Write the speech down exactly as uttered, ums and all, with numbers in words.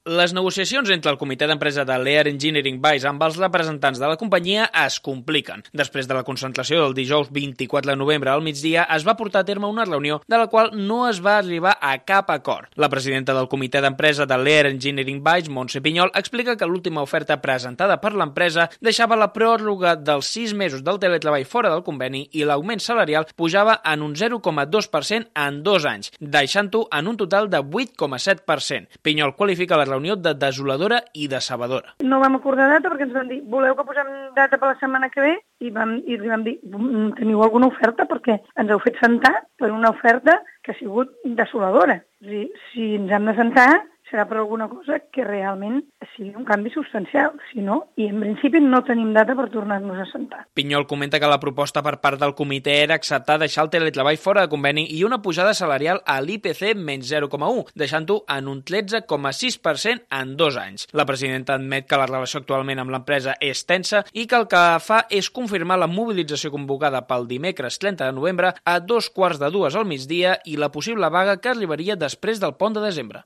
Les negociacions entre el comitè d'empresa de l'Air Engineering Vice amb els representants de la companyia es compliquen. Després de la concentració del dijous vint-i-quatre de novembre al migdia, es va portar a terme una reunió de la qual no es va arribar a cap acord. La presidenta del comitè d'empresa de l'Air Engineering Vice, Montse Pinyol, explica que l'última oferta presentada per l'empresa deixava la pròrroga dels sis mesos del teletreball fora del conveni i l'augment salarial pujava en un zero coma dos per cent en dos anys, deixant-ho en un total de vuit coma set per cent. Pinyol qualifica la reunió de desoladora i decebedora. No vam acordar data perquè ens van dir voleu que posem data per la setmana que ve i, vam, i li vam dir teniu alguna oferta perquè ens heu fet sentar per una oferta que ha sigut desoladora. És a dir, si ens hem de sentar serà per alguna cosa que realment sigui un canvi substancial, si no, i en principi no tenim data per tornar-nos a sentar. Pinyol comenta que la proposta per part del comitè era acceptar deixar el teletreball fora de conveni i una pujada salarial a l'I P C menys zero coma u, deixant-ho en un tretze coma sis per cent en dos anys. La presidenta admet que la relació actualment amb l'empresa és tensa i que el que fa és confirmar la mobilització convocada pel dimecres trenta de novembre a dos quarts de dues al migdia i la possible vaga que arribaria després del pont de desembre.